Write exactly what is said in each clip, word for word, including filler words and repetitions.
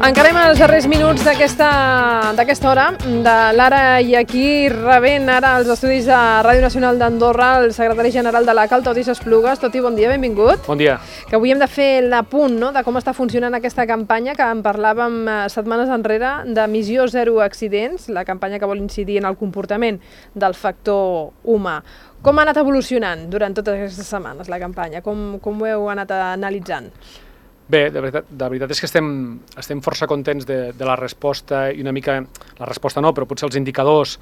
Encarem els darrers minuts d'aquesta hora de l'Ara i aquí rebent ara als estudis de Ràdio Nacional d'Andorra el secretari general de la CAL, Toti Esplugues. Toti, bon dia, benvingut. Bon dia. Que avui hem de fer l'apunt, no?, de com està funcionant aquesta campanya que en parlàvem setmanes enrere de Missió Zero Accidents, la campanya que vol incidir en el comportament del factor humà. Com ha anat evolucionant durant totes aquestes setmanes la campanya? Com, com ho heu anat analitzant? Bé, de veritat, de veritat és que estem, estem força contents de, de la resposta i una mica, la resposta no, però potser els indicadors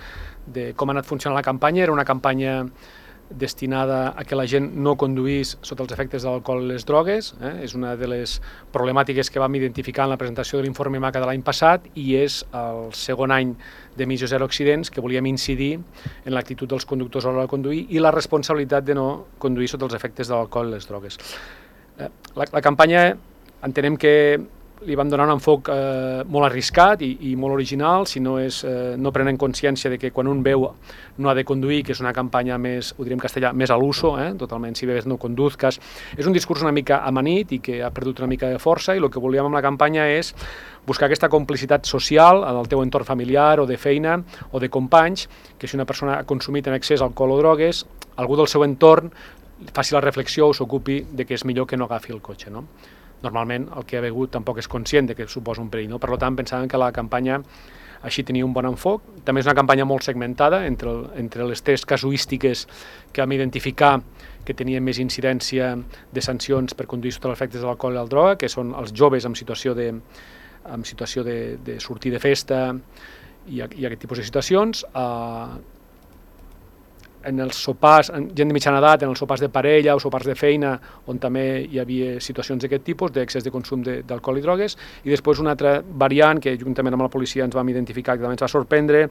de com ha anat funcionant la campanya. Era una campanya destinada a que la gent no conduís sota els efectes de l'alcohol i les drogues. Eh? És una de les problemàtiques que vam identificar en la presentació de l'informe MACA de l'any passat i és el segon any de Missió Zero Accidents que volíem incidir en l'actitud dels conductors a l'hora de conduir i la responsabilitat de no conduir sota els efectes de l'alcohol i les drogues. Eh, la, la campanya entenem que li vam donar un enfoc eh, molt arriscat i, i molt original, si no, és, eh, no prenen consciència de que quan un veu no ha de conduir, que és una campanya més, ho diríem en castellà, més a l'uso, eh? Totalment, si bebes no conduzcas. És un discurs una mica amanit i que ha perdut una mica de força i el que volíem amb la campanya és buscar aquesta complicitat social en el teu entorn familiar o de feina o de companys, que si una persona ha consumit en excés alcohol o drogues, algú del seu entorn faci la reflexió o s'ocupi de que és millor que no agafi el cotxe, no? Normalment el que ha begut tampoc és conscient de que suposa un perill, no? Per tant, pensàvem que la campanya així tenia un bon enfoc. També és una campanya molt segmentada entre, el, entre les tres casuístiques que vam identificar que tenien més incidència de sancions per conduir sota els efectes de l'alcohol i la droga, que són els joves en situació de, en situació de, de sortir de festa i, i aquest tipus de situacions. Uh, en els sopars, gent de mitjana edat, en els sopars de parella o sopars de feina, on també hi havia situacions d'aquest tipus, d'excés de consum d'alcohol i drogues, i després una altra variant que juntament amb la policia ens vam identificar que també ens va sorprendre,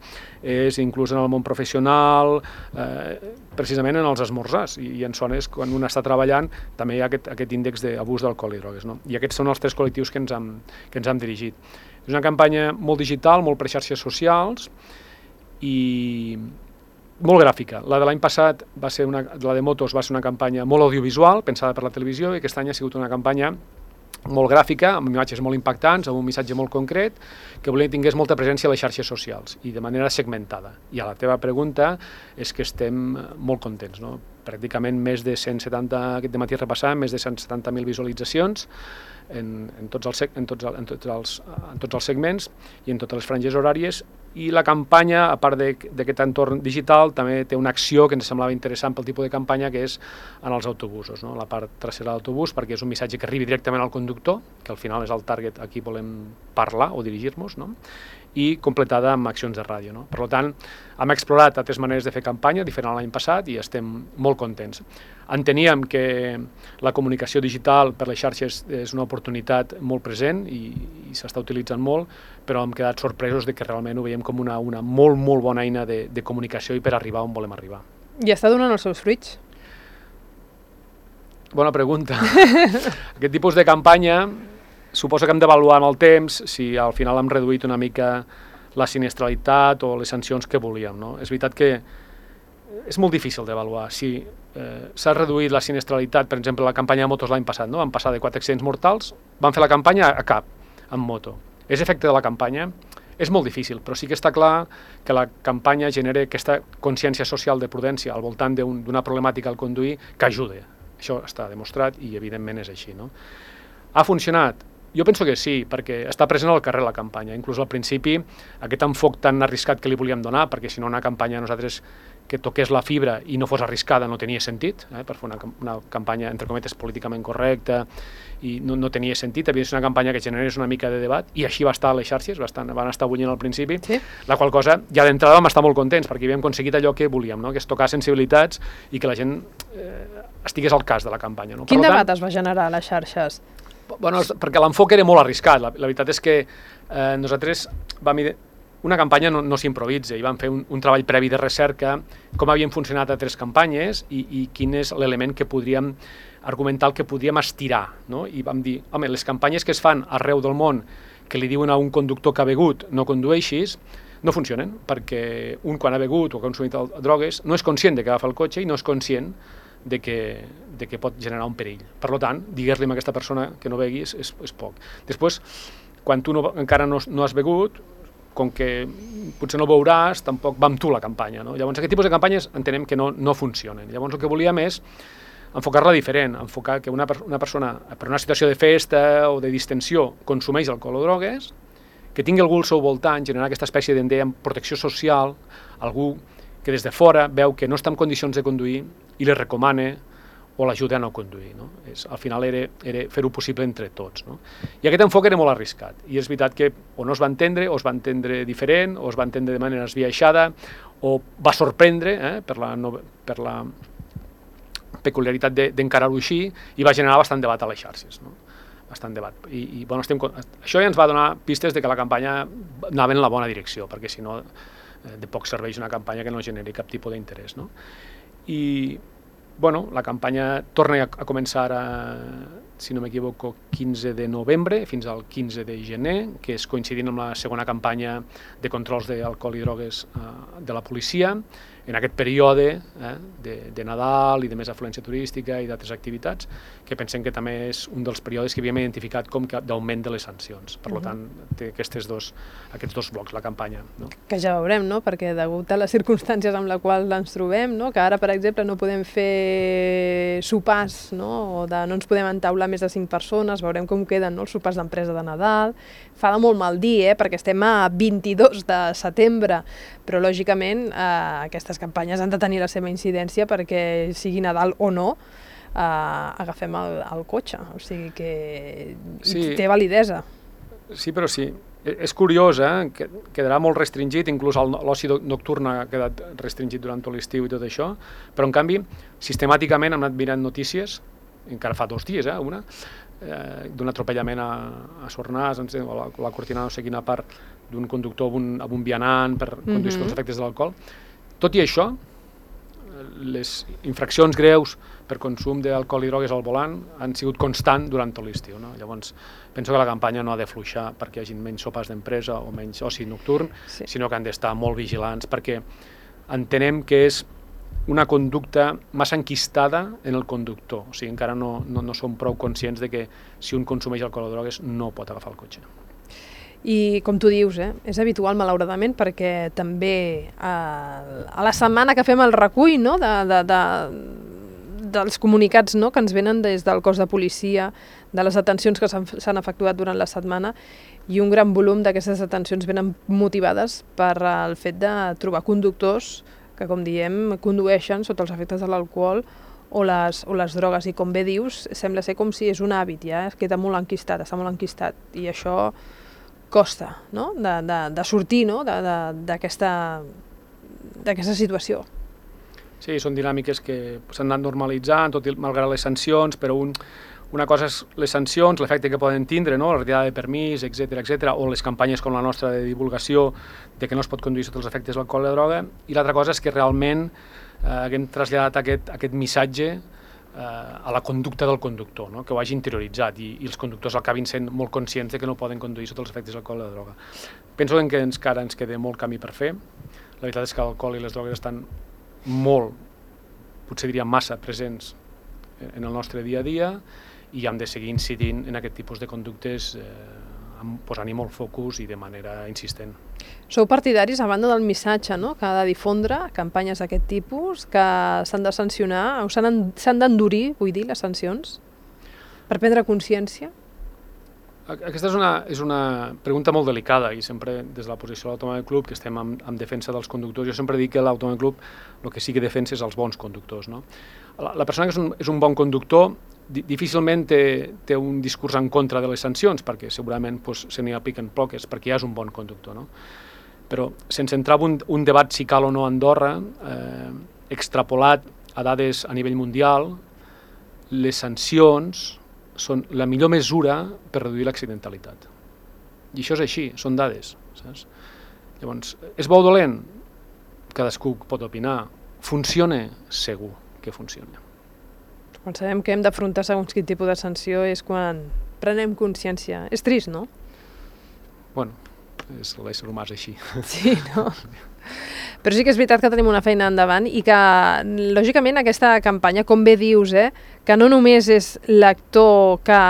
és inclús en el món professional, eh, precisament en els esmorzars, i, i en zones quan un està treballant també hi ha aquest, aquest índex d'abús d'alcohol i drogues, no? I aquests són els tres col·lectius que ens hem, que ens hem dirigit. És una campanya molt digital, molt per xarxes socials i molt gràfica. La de l'any passat, va ser una, la de motos, va ser una campanya molt audiovisual, pensada per la televisió, i aquest any ha sigut una campanya molt gràfica, amb imatges molt impactants, amb un missatge molt concret, que volia que tingués molta presència a les xarxes socials i de manera segmentada. I a la teva pregunta és que estem molt contents, no? Pràcticament més de cent setanta, aquest dematí repassàvem, més de cent setanta mil visualitzacions en, en, tots els, en, tots, en, tots els, en tots els segments i en totes les franges horàries. I la campanya, a part d'aquest entorn digital, també té una acció que ens semblava interessant pel tipus de campanya, que és en els autobusos, no? La part trasera de l'autobús, perquè és un missatge que arribi directament al conductor, que al final és el target a qui volem parlar o dirigir-nos, no? I completada amb accions de ràdio, no? Per tant, hem explorat altres maneres de fer campanya, diferent a l'any passat, i estem molt contents. Enteníem que la comunicació digital per les xarxes és una oportunitat molt present i, i s'està utilitzant molt, però hem quedat sorpresos de que realment ho veiem com una, una molt, molt bona eina de, de comunicació i per arribar on volem arribar. I està donant els seus fruits? Bona pregunta. Aquest tipus de campanya suposo que hem d'avaluar amb el temps si al final hem reduït una mica la sinistralitat o les sancions que volíem, no? És veritat que és molt difícil d'avaluar si eh, s'ha reduït la sinistralitat, per exemple, la campanya de motos l'any passat, no? Vam passar de quatre accidents mortals, vam fer la campanya a cap, amb moto. És efecte de la campanya? És molt difícil, però sí que està clar que la campanya genera aquesta consciència social de prudència al voltant d'una problemàtica al conduir que ajuda. Això està demostrat i evidentment és així, no? Ha funcionat? Jo penso que sí, perquè està present al carrer la campanya. Inclús al principi, aquest enfoc tan arriscat que li volíem donar, perquè si no una campanya a nosaltres que toqués la fibra i no fos arriscada no tenia sentit, eh, per fer una, una campanya, entre cometes, políticament correcta, i no, no tenia sentit. Havia de ser una campanya que generés una mica de debat, i així va estar a les xarxes, bastant, van estar bullint al principi, sí. La qual cosa, ja d'entrada vam estar molt contents, perquè havíem aconseguit allò que volíem, no? Que és tocar sensibilitats i que la gent eh, estigués al cas de la campanya. No? Quin per debat tant, es va generar a les xarxes? Bueno, perquè l'enfoc era molt arriscat. La, la veritat és que eh, nosaltres vam... Una campanya no, no s'improvisa i vam fer un, un treball previ de recerca, com havien funcionat altres campanyes i, i quin és l'element que podríem argumentar, el que podríem estirar, no? I vam dir, home, les campanyes que es fan arreu del món que li diuen a un conductor que ha begut no condueixis, no funcionen, perquè un quan ha begut o ha consumit drogues no és conscient de que agafa el cotxe i no és conscient de que, de que pot generar un perill. Per tant, digues-li a aquesta persona que no begui és, és, és poc. Després, quan tu no, encara no, no has begut, com que potser no veuràs, tampoc va amb tu la campanya. No? Llavors, aquest tipus de campanyes entenem que no, no funcionen. Llavors, el que volíem és enfocar-la diferent, enfocar que una, una persona, per una situació de festa o de distensió, consumeix alcohol o drogues, que tingui algú al seu voltant, generar aquesta espècie de protecció social, algú que des de fora veu que no està en condicions de conduir i li recomana o l'ajuda a no conduir. No? És, al final era, era fer-ho possible entre tots. No? I aquest enfoc era molt arriscat. I és veritat que o no es va entendre, o es va entendre diferent, o es va entendre de manera esbiaixada, o va sorprendre eh, per, la, no, per la peculiaritat d'encarar-ho així, i va generar bastant debat a les xarxes. No? Bastant debat. I, i, bueno, estem, això ja ens va donar pistes de que la campanya anava en la bona direcció, perquè si no eh, de poc serveix una campanya que no generi cap tipus d'interès. No? I bueno, la campanya torna a començar, a, si no m'equivoco, quinze de novembre fins al quinze de gener, que és coincidint amb la segona campanya de controls d'alcohol i drogues eh, de la policia, en aquest període eh, de, de Nadal i de més afluència turística i d'altres activitats, que pensem que també és un dels períodes que havíem identificat com d'augment de les sancions. Per uh-huh. tant, té aquests dos, aquests dos blocs, la campanya. No? Que ja veurem, no? Perquè degut a les circumstàncies amb les quals ens trobem, no? Que ara, per exemple, no podem fer sopars, no? O de, no ens podem entaular més de cinc persones, veurem com queden no? Els sopars d'empresa de Nadal. Fa de molt mal dir, eh? Perquè estem a vint-i-dos de setembre, però lògicament eh, aquestes campanyes han de tenir la seva incidència perquè sigui Nadal o no, eh, agafem el, el cotxe, o sigui que sí, té validesa. Sí, però sí. És curiós, eh? Que quedarà molt restringit, inclús l'oci nocturn ha quedat restringit durant tot l'estiu i tot això, però en canvi, sistemàticament hem anat mirant notícies, encara fa dos dies, eh, una, eh, d'un atropellament a, a Sornàs, o la, la Cortina no sé quina part, d'un conductor amb un, amb un vianant per conduir mm-hmm. els efectes de l'alcohol. Tot i això, les infraccions greus per consum d'alcohol i drogues al volant han sigut constant durant tot l'estiu. No? Llavors, penso que la campanya no ha de fluixar perquè hi hagi menys sopars d'empresa o menys oci nocturn, sí. sinó que han d'estar molt vigilants perquè entenem que és una conducta massa enquistada en el conductor. O sigui, encara no, no, no som prou conscients de que si un consumeix alcohol o drogues no pot agafar el cotxe. I com tu dius, eh, és habitual malauradament perquè també eh, a la setmana que fem el recull no, de, de, de, dels comunicats no, que ens venen des del cos de policia, de les detencions que s'han efectuat durant la setmana, i un gran volum d'aquestes detencions venen motivades per el fet de trobar conductors que, com diem, condueixen sota els efectes de l'alcohol o les, o les drogues. I com bé dius, sembla ser com si és un hàbit, ja es queda molt enquistat, està molt enquistat, i això costa no? de, de, de sortir no? d'aquesta situació. Sí, són dinàmiques que s'han anat normalitzant, tot i malgrat les sancions, però un, una cosa és les sancions, l'efecte que poden tindre, no? La retirada de permís, etcètera, etcètera, o les campanyes com la nostra de divulgació de que no es pot conduir sota els efectes de l'alcohol i la droga, i l'altra cosa és que realment eh, haguem traslladat aquest, aquest missatge a la conducta del conductor, no? Que ho hagi interioritzat i, i els conductors acabin sent molt conscients de que no poden conduir sota els efectes de l'alcohol i la droga. Penso que encara ens queda molt camí per fer. La veritat és que l'alcohol i les drogues estan molt, potser diria massa, presents en el nostre dia a dia i hem de seguir incidint en aquest tipus de conductes eh, posant-hi molt focus i de manera insistent. Sou partidaris, a banda del missatge no? Que ha de difondre campanyes d'aquest tipus, que s'han de sancionar, o s'han d'endurir, vull dir, les sancions, per prendre consciència? Aquesta és una, és una pregunta molt delicada i sempre des de la posició de l'Automòbil Club, que estem en, en defensa dels conductors, jo sempre dic que l'Automòbil Club el que sí que defensa és els bons conductors. No? La, la persona que és un, és un bon conductor difícilment té, té un discurs en contra de les sancions, perquè segurament pues, se n'hi apliquen poques, perquè ja és un bon conductor. No? Però sense entrar en un, un debat si cal o no a Andorra, eh, extrapolat a dades a nivell mundial, les sancions són la millor mesura per reduir l'accidentalitat. I això és així, són dades. Saps? Llavors, és bo o dolent? Cadascú pot opinar. Funciona? Segur que funciona. Quan sabem que hem d'afrontar segons quin tipus de sanció és quan prenem consciència. És trist, no? Bueno, és l'ésser humà és així. Sí, no? Però sí que és veritat que tenim una feina endavant i que, lògicament, aquesta campanya, com bé dius, eh, que no només és l'actor que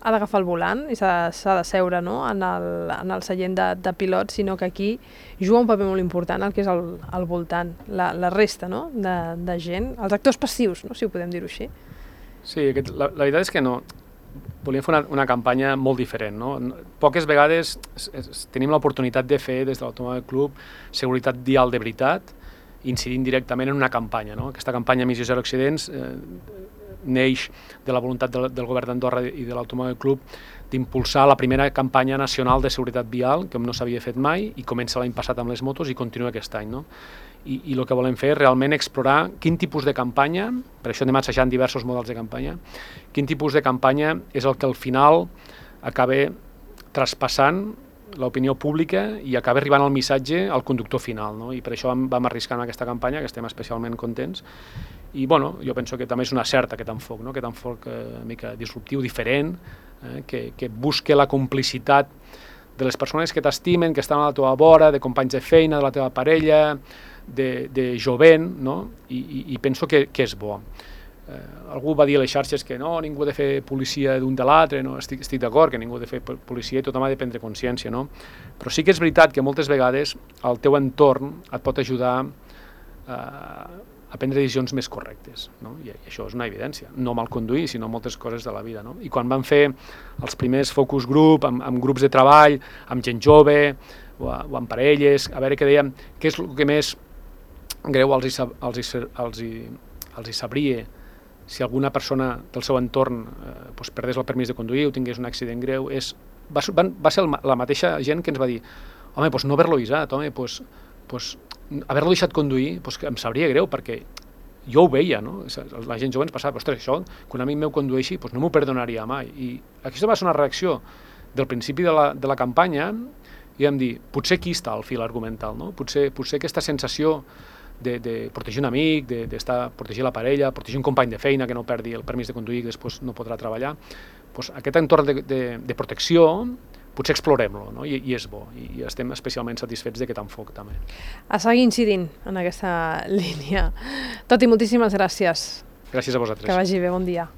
ha d'agafar el volant i s'ha de seure, no?, en el, en el seient de, de pilot, sinó que aquí juga un paper molt important el que és el, el voltant, la, la resta, no?, de, de gent, els actors passius, no?, si ho podem dir-ho així. Sí, aquest, la, la veritat és que no. Volíem fer una, una campanya molt diferent, no? Poques vegades es, es, tenim l'oportunitat de fer des de l'Automòbil Club seguretat vial de veritat, incidint directament en una campanya, no? Aquesta campanya Missió Zero Accidents eh, neix de la voluntat del, del govern d'Andorra i de l'Automòbil Club d'impulsar la primera campanya nacional de seguretat vial, que no s'havia fet mai, i comença l'any passat amb les motos i continua aquest any, no? I, i el que volem fer és realment explorar quin tipus de campanya, per això anem assajant diversos models de campanya, quin tipus de campanya és el que al final acaba traspassant l'opinió pública i acaba arribant el missatge al conductor final, no? I per això vam, vam arriscar en aquesta campanya, que estem especialment contents. I bueno, jo penso que també és una certa aquest enfoc, no? Aquest enfoc eh, una mica disruptiu, diferent, eh, que, que busque la complicitat de les persones que t'estimen, que estan a la teva vora, de companys de feina, de la teva parella, de, de jovent, no? I, i, i penso que, que és bo. Eh, algú va dir a les xarxes que no, ningú ha de fer policia d'un de l'altre, no? Estic, estic d'acord que ningú ha de fer policia i tothom ha de prendre consciència, no? Però sí que és veritat que moltes vegades el teu entorn et pot ajudar eh, a prendre decisions més correctes, no? I això és una evidència, no mal conduir, sinó moltes coses de la vida, no? I quan vam fer els primers focus group, amb, amb grups de treball, amb gent jove, o, a, o amb parelles, a veure què dèiem, què és el que més greu els hi, els hi, els hi, els hi sabria si alguna persona del seu entorn eh, doncs perdés el permís de conduir o tingués un accident greu, és, va, van, va ser el, la mateixa gent que ens va dir home, doncs no haver-lo avisat, home, doncs, doncs haver-lo deixat conduir, doncs em sabria greu, perquè jo ho veia, no? La gent jove ens passava, ostres, això, que un amic meu condueixi, doncs no m'ho perdonaria mai. I aquesta va ser una reacció del principi de la, de la campanya, i vam dir, potser aquí està el fil argumental, no? Potser, potser aquesta sensació de, de protegir un amic, de, de estar, protegir la parella, protegir un company de feina que no perdi el permís de conduir i després no podrà treballar, doncs aquest entorn de, de, de protecció potser explorem-lo, no? I, i és bo, i estem especialment satisfets d'aquest enfoc també. A seguir incidint en aquesta línia. Toti, moltíssimes gràcies. Gràcies a vosaltres. Que vagi bé, bon dia.